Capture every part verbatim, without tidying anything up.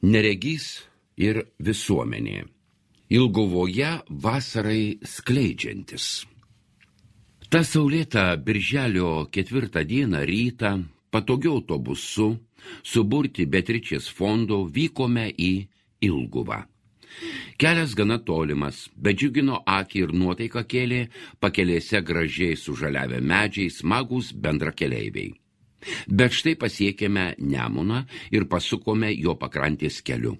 Neregys ir visuomenė. Ilguvoje vasarai skleidžiantis. Ta saulėta birželio ketvirtą dieną rytą patogiu autobusu suburti Beatričės fondo vykome į Ilguvą. Kelias gana tolimas, bet džiugino akį ir nuotaiką kėlė pakelėse gražiai sužaliavę medžiai smagūs bendrakeleiviai. Bet štai pasiekėme Nemuną ir pasukome jo pakrantės keliu.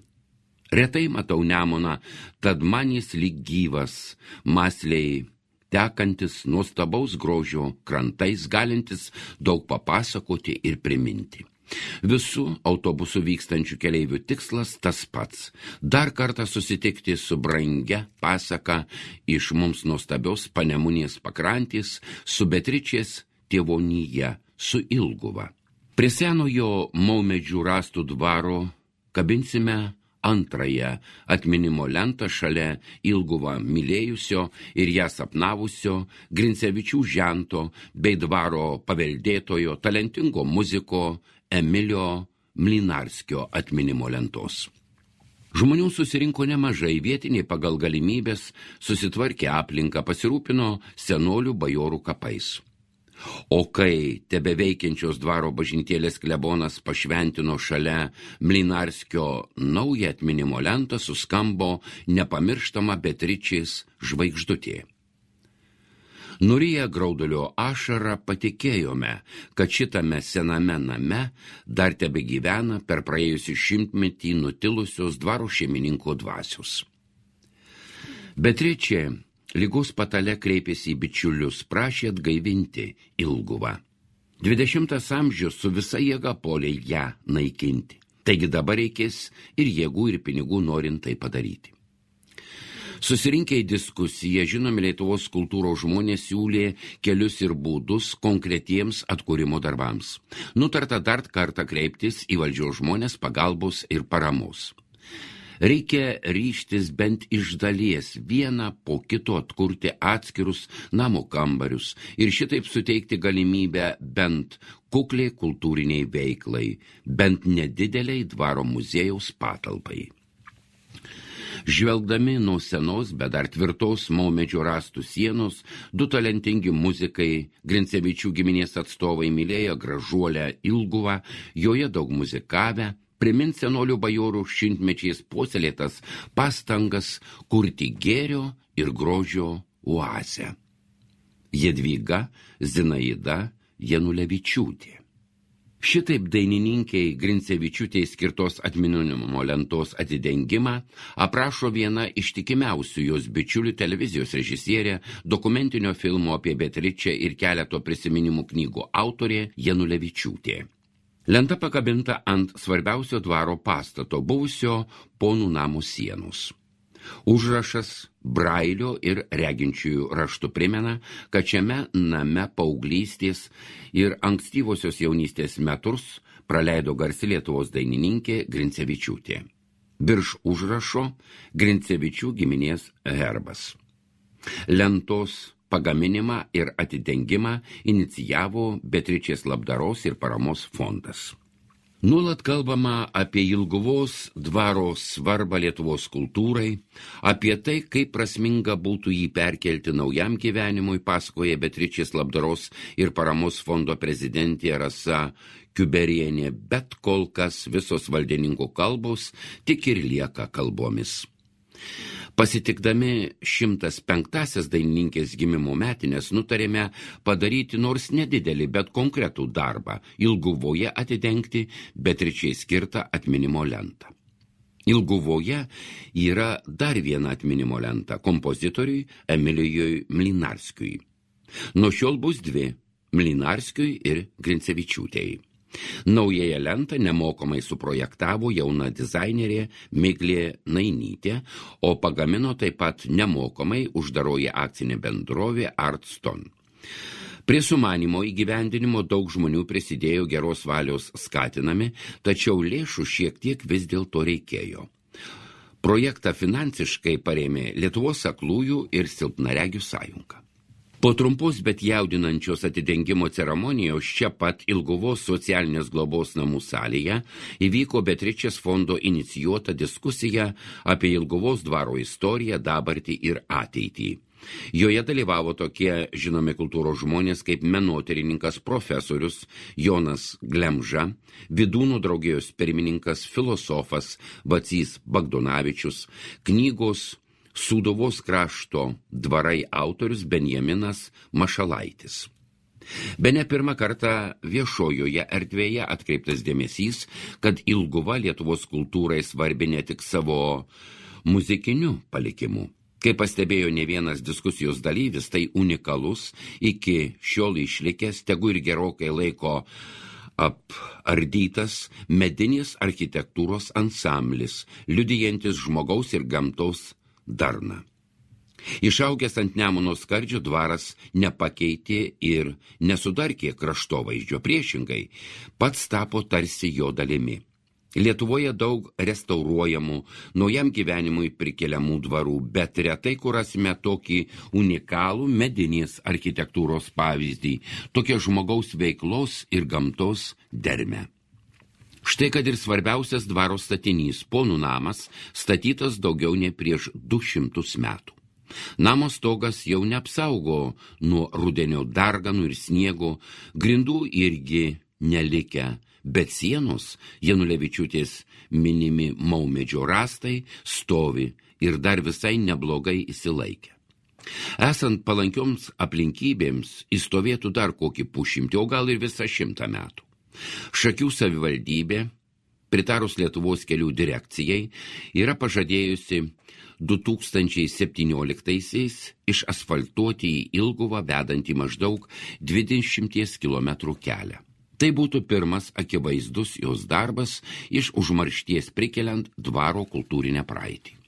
Retai matau Nemuną, tad man jis lyg gyvas, mąsliai tekantis nuostabaus grožio krantais, galintis daug papasakoti ir priminti. Visų autobusų vykstančių keleivių tikslas tas pats – dar kartą susitikti su brangia pasaka iš mums nuostabios Panemunės pakrantės, su Beatričės tėvonija, su Ilguva. Prie senojo maumedžių rąstų dvaro kabinsime antrąją atminimo lentą šalia Ilguvą mylėjusio ir ją sapnavusio Grincevičių žento bei dvaro paveldėtojo talentingo muziko Emilio Mlinarskio atminimo lentos. Žmonių susirinko nemažai, vietiniai pagal galimybės susitvarkė aplinką, pasirūpino senolių bajorų kapais. O kai tebeveikiančios dvaro bažnytėlės klebonas pašventino šalia Mlinarskio naują atminimo lentą, suskambo nepamirštama Beatričės žvaigždutė. Nuriję graudulio ašarą patikėjome, kad šitame sename name dar tebegyvena per praėjusį šimtmetį nutilusios dvaro šeimininko dvasios. Beatričė ligos patale kreipėsi į bičiulius, prašė atgaivinti Ilguvą. Dvidešimtas amžius su visa jėga puolė ją naikinti. Taigi dabar reikės ir jėgų, ir pinigų norint tai padaryti. Susirinkę į diskusiją, žinomi Lietuvos kultūros žmonės siūlė kelius ir būdus konkretiems atkūrimo darbams. Nutarta dar kartą kreiptis į valdžios žmonės pagalbos ir paramos. Reikia ryžtis bent iš dalies vieną po kito atkurti atskirus namų kambarius ir šitaip suteikti galimybę bent kukliai kultūriniai veiklai, bent nedideliai dvaro muziejaus patalpai. Žvelgdami nuo senos, bet dar tvirtos maumedžio rąstų sienos, du talentingi muzikai, Grincevičių giminės atstovai mylėjo gražuolę Ilguvą, joje daug muzikavę, primins senolių bajorų šimtmečiais puoselėtas pastangas kurti gėrio ir grožio oazę. Jadvyga Zinaida Janulevičiūtė. Šitaip dainininkei Grincevičiūtei skirtos atminimo lentos atidengimą aprašo viena ištikimiausių jos bičiulių televizijos režisierė, dokumentinio filmo apie Beatričę ir keleto prisiminimų knygų autorė Janulevičiūtė. Lenta pakabinta ant svarbiausio dvaro pastato, buvusio ponų namų sienos. Užrašas brailio ir reginčiųjų raštų primena, kad šiame name paauglystės ir ankstyvosios jaunystės metus praleido garsi Lietuvos dainininkė Grincevičiūtė. Virš užrašo Grincevičių giminės herbas. Lentos pagaminimą ir atidengimą inicijavo Beatričės labdaros ir paramos fondas. Nuolat kalbama apie Ilguvos dvaro svarbą Lietuvos kultūrai, apie tai, kaip prasminga būtų jį perkelti naujam gyvenimui, pasakoja Beatričės labdaros ir paramos fondo prezidentė Rasa Kiuberienė, bet kol kas visos valdininkų kalbos tik ir lieka kalbomis. Pasitikdami šimtas penktąsias dainininkės gimimo metinės nutarėme padaryti nors nedidelį, bet konkretų darbą – Ilguvoje atidengti Beatričei skirtą atminimo lentą. Ilguvoje yra dar viena atminimo lenta kompozitoriui Emilijui Mlinarskiui. Nuo šiol bus dvi – Mlinarskiui ir Grincevičiūtei. Naująją lentą nemokamai suprojektavo jauna dizainerė Miglė Nainytė, o pagamino taip pat nemokamai uždaroji akcinė bendrovė Artston. Prie sumanimo įgyvendinimo daug žmonių prisidėjo geros valios skatinami, tačiau lėšų šiek tiek vis dėlto reikėjo. Projektą finansiškai parėmė Lietuvos aklųjų ir silpnaregių sąjunga. Po trumpos, bet jaudinančios atidengimo ceremonijos čia pat Ilguvos socialinės globos namų salėje įvyko Beatričės fondo inicijuota diskusija apie Ilguvos dvaro istoriją, dabartį ir ateitį. Joje dalyvavo tokie žinomi kultūros žmonės kaip menotyrininkas profesorius Jonas Glemža, Vydūnų draugijos pirmininkas filosofas Vacys Bagdonavičius, knygos Sūduvos krašto dvarai autorius Benjaminas Mašalaitis. Bene pirmą kartą viešojoje erdvėje atkreiptas dėmesys, kad Ilguva Lietuvos kultūrai svarbi ne tik savo muzikiniu palikimu. Kaip pastebėjo ne vienas diskusijos dalyvis, tai unikalus, iki šiol išlikęs, tegu ir gerokai laiko apardytas medinis architektūros ansamblis, liudijantis žmogaus ir gamtos darna. Išaugęs ant Nemuno skardžio dvaras nepakeitė ir nesudarkė kraštovaizdžio, priešingai, pats tapo tarsi jo dalimi. Lietuvoje daug restauruojamų, naujam gyvenimui prikeliamų dvarų, bet retai kur rasime tokį unikalų medinės architektūros pavyzdį, tokia žmogaus veiklos ir gamtos dermę. Štai kad ir svarbiausias dvaro statinys, ponų namas, statytas daugiau nei prieš du šimtus metų. Namo stogas jau neapsaugo nuo rudenio darganų ir sniego, grindų irgi nelikę, bet sienos, Janulevičiūtės minimi maumedžio rąstai, stovi ir dar visai neblogai įsilaikę. Esant palankioms aplinkybėms, įstovėtų dar kokį pusšimtį, o gal ir visą šimtą metų. Šakių savivaldybė, pritarus Lietuvos kelių direkcijai, yra pažadėjusi du tūkstančiai septynioliktaisiais išasfaltuoti į Ilguvą vedantį maždaug dvidešimties kilometrų kelią. Tai būtų pirmas akivaizdus jos darbas iš užmaršties prikeliant dvaro kultūrinę praeitį.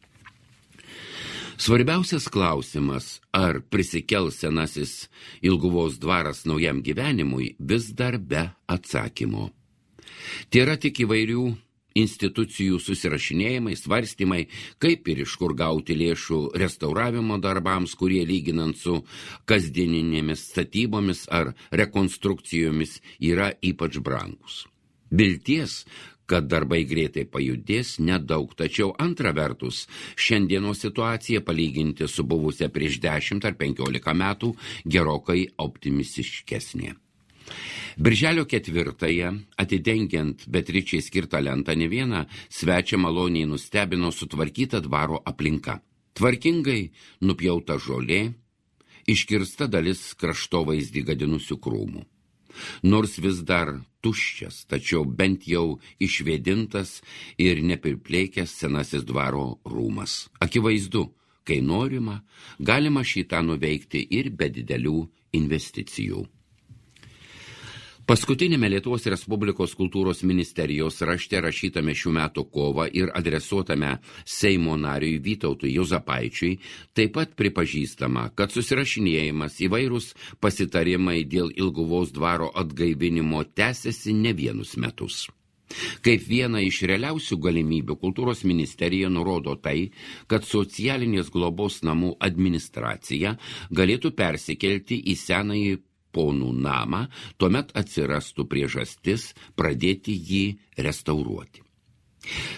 Svarbiausias klausimas, ar prisikels senasis Ilguvos dvaras naujam gyvenimui, vis dar be atsakymo. Tai yra tik įvairių institucijų susirašinėjimai, svarstymai, kaip ir iš kur gauti lėšų restauravimo darbams, kurie lyginant su kasdieninėmis statybomis ar rekonstrukcijomis yra ypač brangus. Vilties, kad darbai greitai pajudės, nedaug, tačiau antra vertus, šiandienos situacija palyginti su buvusia prieš dešimt ar penkiolika metų gerokai optimistiškesnė. Birželio ketvirtąją, atidengiant Beatričei skirtą lentą, ne vieną svečią maloniai nustebino sutvarkyta dvaro aplinka. Tvarkingai nupjauta žolė, iškirsta dalis kraštovaizdį gadinusių krūmų. Nors vis dar tuščias, tačiau bent jau išvėdintas ir nepirplėkęs senasis dvaro rūmas. Akivaizdu, kai norima, galima šitą nuveikti ir be didelių investicijų. Paskutinėme Lietuvos Respublikos kultūros ministerijos rašte rašytame šių metų kovą ir adresuotame Seimo nariui Vytautui Juozapaičiui taip pat pripažįstama, kad susirašinėjimas, įvairūs pasitarimai dėl Ilguvos dvaro atgaivinimo tęsiasi ne vienus metus. Kaip viena iš realiausių galimybių kultūros ministerija nurodo tai, kad socialinės globos namų administracija galėtų persikelti į senąjį ponų namą, tuomet atsirastų priežastis pradėti jį restauruoti.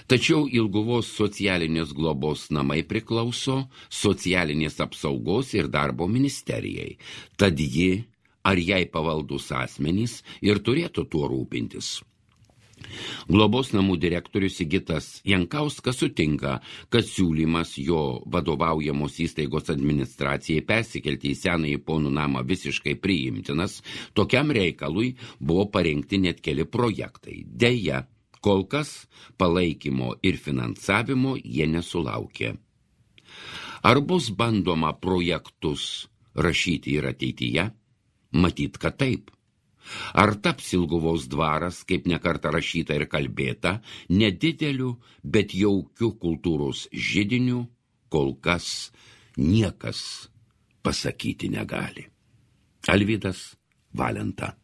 Tačiau Ilguvos socialinės globos namai priklauso socialinės apsaugos ir darbo ministerijai, tad ji ar jai pavaldus asmenys ir turėtų tuo rūpintis. Globos namų direktorius Sigitas Jankauskas sutinka, kad siūlymas jo vadovaujamos įstaigos administracijai persikelti į senąjį ponų namą visiškai priimtinas, tokiam reikalui buvo parengti net keli projektai. Deja, kol kas palaikymo ir finansavimo jie nesulaukė. Ar bus bandoma projektus rašyti ir ateityje? Matyt, kad taip. Ar taps Ilguvos dvaras, kaip nekartą rašyta ir kalbėta, nedideliu, bet jaukiu kultūros židiniu, kol kas niekas pasakyti negali. Alvydas Valenta.